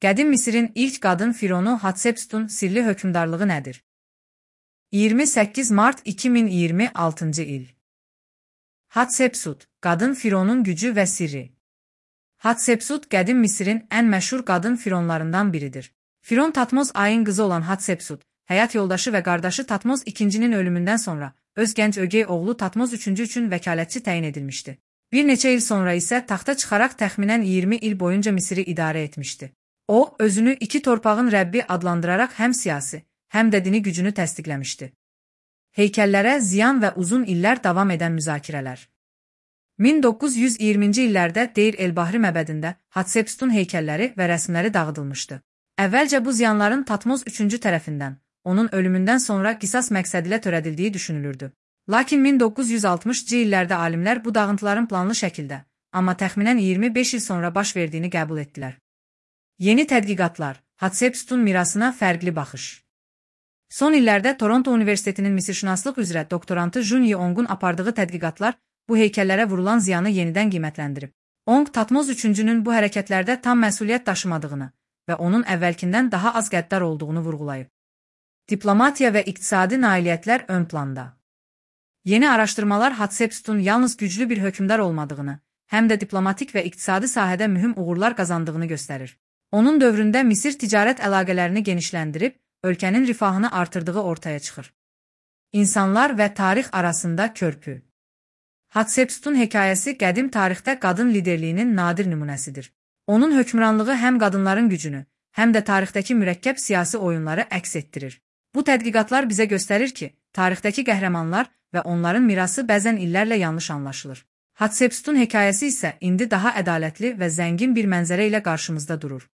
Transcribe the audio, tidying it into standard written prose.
Qədim Misirin ilk qadın fironu Hatsepsutun sirli hökmdarlığı nədir? 28 mart 2026 il. Hatsepsut, qadın fironun gücü və sirri. Hatsepsut qədim Misirin ən məşhur qadın fironlarından biridir. Firon Tatmoz Ayın qızı olan Hatsepsut, həyat yoldaşı və qardaşı Tatmoz II-nin ölümündən sonra öz gənc ögey oğlu Tatmoz III üçün vəkalətçi təyin edilmişdi. Bir neçə il sonra isə taxta çıxaraq təxminən 20 il boyunca Misiri idarə etmişdi. O, özünü iki torpağın Rəbbi adlandıraraq həm siyasi, həm də dini gücünü təsdiqləmişdi. Heykəllərə ziyan və uzun illər davam edən müzakirələr. 1920-ci illərdə Deir el-Bahri məbədində Hatsepsutun heykəlləri və rəsmləri dağıdılmışdı. Əvvəlcə bu ziyanların Tatmoz III tərəfindən, onun ölümündən sonra qisas məqsədilə törədildiyi düşünülürdü. Lakin 1960-cı illərdə alimlər bu dağıntıların planlı şəkildə, amma təxminən 25 il sonra baş verdiyini qəbul etdilər. Yeni tədqiqatlar, Hatsepsutun mirasına fərqli baxış. Son illərdə Toronto Universitetinin misirşünaslıq üzrə doktorantı Jun Yeong'un apardığı tədqiqatlar bu heykəllərə vurulan ziyanı yenidən qiymətləndirib. Ong Tatmoz III-nün bu hərəkətlərdə tam məsuliyyət daşımadığını və onun əvvəlkindən daha az qəddar olduğunu vurğulayıb. Diplomatiya və iqtisadi nailiyyətlər ön planda. Yeni araşdırmalar Hatsepsutun yalnız güclü bir hökmdar olmadığını, həm də diplomatik və iqtisadi sahədə mühüm uğurlar qazandığını göstərir. Onun dövründə Misir ticarət əlaqələrini genişləndirib, ölkənin rifahını artırdığı ortaya çıxır. İnsanlar və tarix arasında körpü. Hatsepsutun hekayəsi qədim tarixdə qadın liderliyinin nadir nümunəsidir. Onun hökmranlığı həm qadınların gücünü, həm də tarixdəki mürəkkəb siyasi oyunları əks etdirir. Bu tədqiqatlar bizə göstərir ki, tarixdəki qəhrəmanlar və onların mirası bəzən illərlə yanlış anlaşılır. Hatsepsutun hekayəsi isə indi daha ədalətli və zəngin bir mənzərə ilə qarşımızda durur.